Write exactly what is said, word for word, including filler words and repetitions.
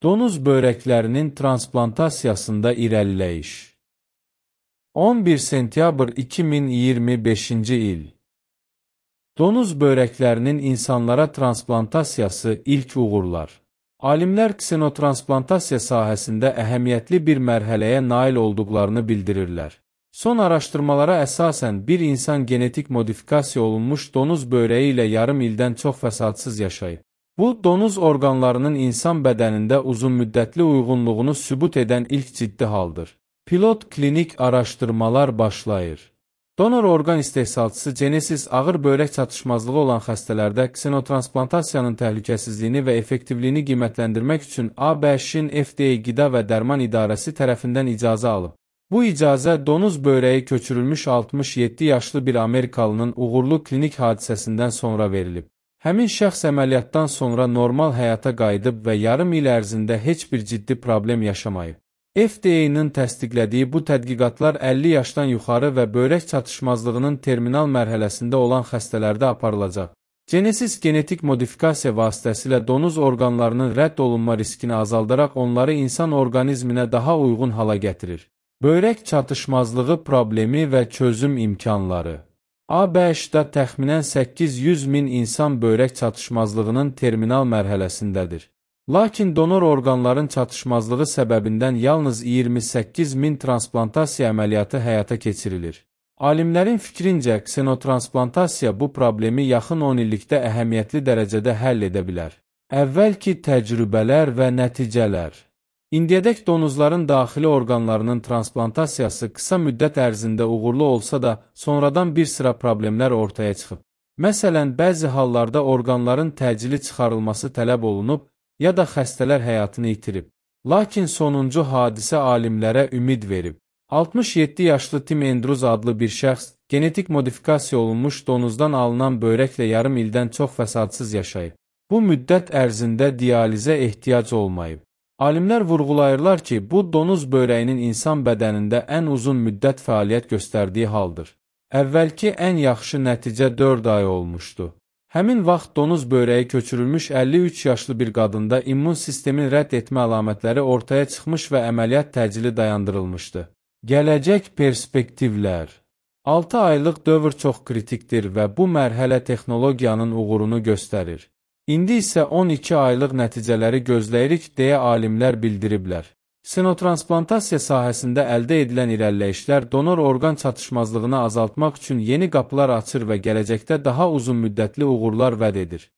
Donuz börəklərinin transplantasiyasında irəliləyiş. on bir sentyabr iki min iyirmi beşinci il. Donuz börəklərinin insanlara transplantasiyası ilk uğurlar. Alimlər ksenotransplantasiyya sahəsində əhəmiyyətli bir mərhələyə nail olduqlarını bildirirlər. Son araşdırmalara əsasən bir insan genetik modifikasiya olunmuş donuz börəyi ilə yarım ildən çox fəsadsız yaşayıb. Bu, donuz orqanlarının insan bədənində uzunmüddətli uyğunluğunu sübut edən ilk ciddi haldır. Pilot klinik araşdırmalar başlayır. Donor orqan istehsalçısı Genesis ağır börək çatışmazlığı olan xəstələrdə ksenotransplantasiyyanın təhlükəsizliyini və effektivliyini qiymətləndirmək üçün A B Ş-in F D A Qida və Dərman İdarəsi tərəfindən icazə alıb. Bu icazə donuz börəyi köçürülmüş altmış yeddi yaşlı bir Amerikalının uğurlu klinik hadisəsindən sonra verilib. Həmin şəxs əməliyyatdan sonra normal həyata qayıdıb və yarım il ərzində heç bir ciddi problem yaşamayıb. F D A-nın təsdiqlədiyi bu tədqiqatlar əlli yaşdan yuxarı və börək çatışmazlığının terminal mərhələsində olan xəstələrdə aparılacaq. Genesis genetik modifikasiya vasitəsilə donuz orqanlarının rədd olunma riskini azaldaraq onları insan orqanizminə daha uyğun hala gətirir. Börək çatışmazlığı problemi və çözüm imkanları. A B Ş-da təxminən səkkiz yüz min insan börək çatışmazlığının terminal mərhələsindədir. Lakin donor orqanların çatışmazlığı səbəbindən yalnız iyirmi səkkiz min transplantasiya əməliyyatı həyata keçirilir. Alimlərin fikrincə, ksenotransplantasiyya bu problemi yaxın on illikdə əhəmiyyətli dərəcədə həll edə bilər. Əvvəlki təcrübələr və nəticələr. İndiyədək donuzların daxili orqanlarının transplantasiyası qısa müddət ərzində uğurlu olsa da, sonradan bir sıra problemlər ortaya çıxıb. Məsələn, bəzi hallarda orqanların təcili çıxarılması tələb olunub, ya da xəstələr həyatını itirib. Lakin sonuncu hadisə alimlərə ümid verib. altmış yeddi yaşlı Tim Andrews adlı bir şəxs, genetik modifikasiya olunmuş donuzdan alınan börəklə yarım ildən çox fəsadsız yaşayıb. Bu müddət ərzində dializə ehtiyac olmayıb. Alimlər vurğulayırlar ki, bu donuz börəyinin insan bədənində ən uzun müddət fəaliyyət göstərdiyi haldır. Əvvəlki ən yaxşı nəticə dörd ay olmuşdu. Həmin vaxt donuz börəyi köçürülmüş əlli üç yaşlı bir qadında immun sistemin rədd etmə əlamətləri ortaya çıxmış və əməliyyat təcili dayandırılmışdı. Gələcək perspektivlər. altı aylıq dövr çox kritikdir və bu mərhələ texnologiyanın uğurunu göstərir. İndi isə on iki aylıq nəticələri gözləyirik deyə alimlər bildiriblər. Ksenotransplantasiyya sahəsində əldə edilən irəliləyişlər donor orqan çatışmazlığını azaltmaq üçün yeni qapılar açır və gələcəkdə daha uzun müddətli uğurlar vəd edir.